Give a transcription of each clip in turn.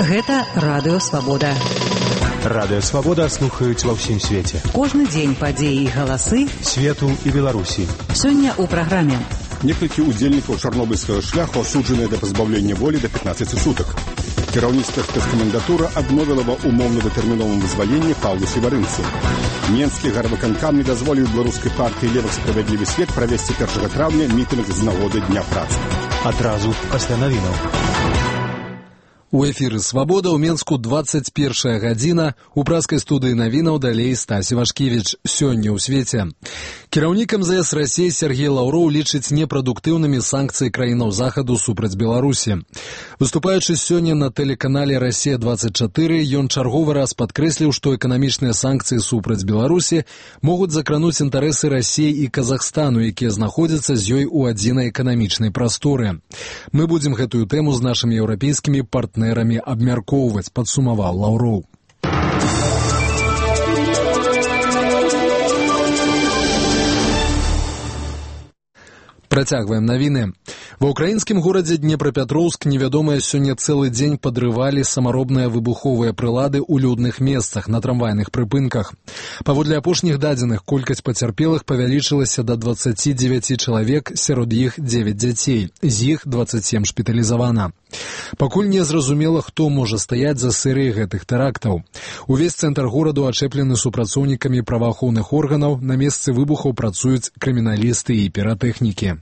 Гэта Радыё Свабода. Радыё Свабода слухаюць ва ўсім свеце. Кожны дзень падзеі і галасы свету і Беларусі. Сёння ў праграме. Некалькі удзельнікаў чарнобыльскага шляху асуджаныя да пазбаўлення волі да 15 сутак. Кіраўніцтва спецкамендатура адмовіла ва умоўна-датэрміновым вызваленні Паўлу Севарынцу. Менскі гарвыканкам не дазволіў беларускай партыі «Левых справядлівы свет» правесці 1 траўня мітынг з нагоды Дня працы. Адразу пасля навінаў. У эфіры «Свабода» ў Менску 21 гадзіна. У праскай студыі навінаў далей Стась Івашкевіч. Сёння ў свеце. Кіраўнік МЗС Расіі Сергей Лаўроў лічыць непрадуктыўнымі санкцыі краінаў захаду супраць Беларусі. Выступаючы сёння на тэлеканале «Расія-24», ён чарговы раз падкрэсліў, што эканамічныя санкцыі супраць Беларусі могуць закрануць інтарэсы Расіі і Казахстану, якія знаходзяцца з ёй у адзінай эканамічнай прасторы. Мы будзем гэтую тэму з нашымі еўрапейскімі партнерамі абмяркоўваць, падсумаваў Лаўроў. Працягваем навіны. Ва ўкраінскім горадзе Днепрапетроўск невядомыя сёння цэлы дзень падрывалі самаробныя выбуховыя прылады ў людных месцах на трамвайных прыпынках. Паводле апошніх дадзеных, колькасць пацярпелых павялічылася да 29 чалавек, сярод іх 9 дзяцей, з іх 27 шпіталізавана. Пакуль не зразумела, хто можа стаяць за серыяй гэтых тэрактаў. Увесь цэнтр гораду ачэплены супрацоўнікамі праваахоўных органаў, на месцы выбухаў працуюць крыміналісты і піратэхнікі.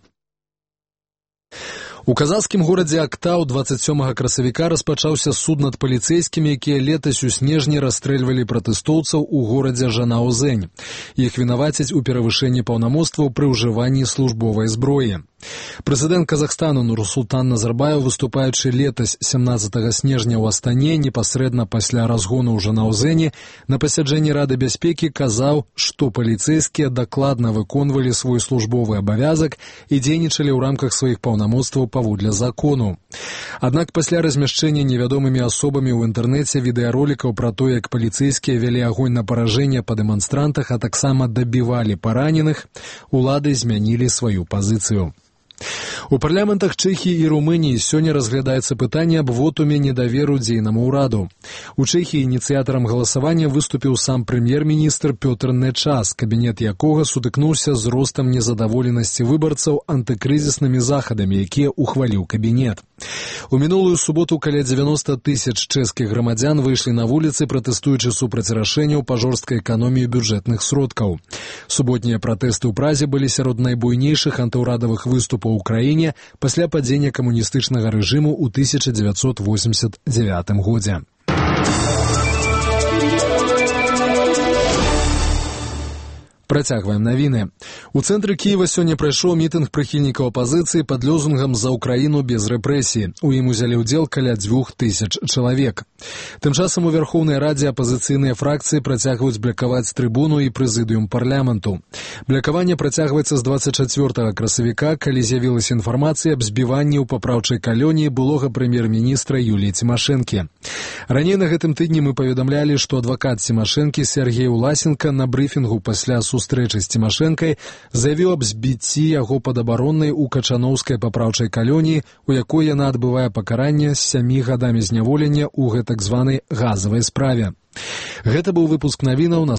У казахскім горадзе Актау 27 красавіка распачаўся суд над паліцэйскімі, якія летась у снежні расстрэльвалі пратэстоўцаў у горадзе Жанаузень. Іх вінавацяць у перавышэнні паўнамоцтваў пры ўжыванні службовай зброі. Прэзідэнт Казахстану Нурсултан Назарбаев, выступаючы летась 17 снежня ў Астане, непасрэдна пасля разгону ў Жанаузені, на пасяджэнні Рады бяспекі казаў, што паліцэйскія дакладна выконвалі свой службовы абавязак і дзейнічалі ў рамках сваіх паўнамоцтваў паводле закону. Аднак пасля размяшчэння невядомымі асобамі ў інтэрнэце відэаролікаў пра то, як паліцэйскія вялі агонь на паражэнне па дэманстрантах, а таксама дабівалі параненых, улады змянілі сваю пазіцыю. У парламентах Чэхіі і Румыніі сёння разглядаецца пытанне аб вотуме недаверу дзейнаму ўраду. У Чэхіі ініцыятарам галасавання выступіў сам прэм'ер-міністр Пётр Нечас, кабінет якога сутыкнуўся з ростам незадаволенасці выбарцаў антыкрызіснымі захадамі, якія ухваліў кабінет. У мінулую суботу каля 90 тысяч чэшскіх грамадзян выйшлі на вуліцы, пратэстуючы супраць рашэнняў па жорсткай эканоміі бюджэтных сродкаў. Суботнія пратэсты ў Празе былі сярод найбуйнейшых антыўрадавых выступаў у краіне пасля падзення камуністычнага рэжыму ў 1989 годзе. Працягваем навіны. У цэнтры Кіева сёння прайшоў мітынг прыхільнікаў апазіцыі пад лозунгам «За Украіну без рэпрэсій». У ім узялі ўдзел каля 2000 чалавек. Тым часам у Верхоўнай Радзе апазіцыйныя фракцыі працягваюць блакаваць трыбуну і прэзідыум парламенту. Блакаванне працягваецца з 24 красавіка, калі з'явілася інфармацыя аб збіванні ў папраўчай калоніі былога прэм'ер-міністра Юліі Цімашэнкі. Раней на гэтым тыдні мы паведамлялі, што адвакат Цімашэнкі Сергей Уласенко на брыфінгу пасля сустрэчы з Цімашэнкай заявіў аб збіцці яго падабароннай у Качановскай папраўчай калоніі, у якой яна адбывае пакаранне з 7 гадамі зняволення ў гэтак званай газавай справе. Гэта быў выпуск навінаў на